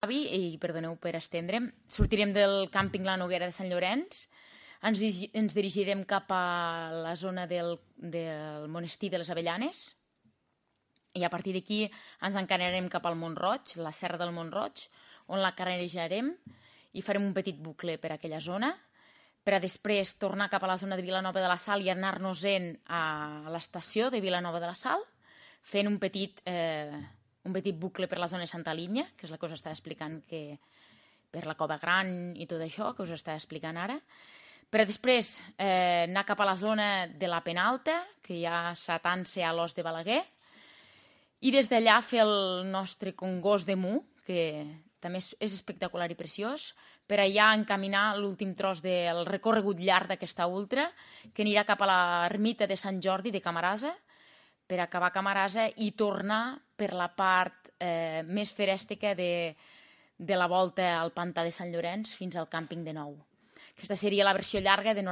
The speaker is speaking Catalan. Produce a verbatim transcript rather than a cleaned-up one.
avi, i perdoneu per estendre'm, sortirem del càmping La Noguera de Sant Llorenç, ens, ens dirigirem cap a la zona del, del monestir de les Avellanes, i a partir d'aquí ens encararem cap al Mont-roig, la serra del Mont-roig, on la carejarem i farem un petit bucle per aquella zona, per a després tornar cap a la zona de Vilanova de la Sal i anar-nos-en a l'estació de Vilanova de la Sal, fent un petit, eh, un petit bucle per la zona de Santa Linya, que és la que us estava explicant, que per la Cova Gran i tot això, que us estava explicant ara, per a després eh, anar cap a la zona de la Penalta, que hi ha s'atança a l'Os de Balaguer, i des d'allà fer el nostre Congost de Mu, que també és, és espectacular i preciós, per allà encaminar l'últim tros del recorregut llarg d'aquesta ultra, que anirà cap a l'ermita de Sant Jordi de Camarasa, per acabar a Camarasa i tornar per la part eh, més ferèstica de, de la volta al pantà de Sant Llorenç fins al càmping de Nou. Aquesta seria la versió llarga de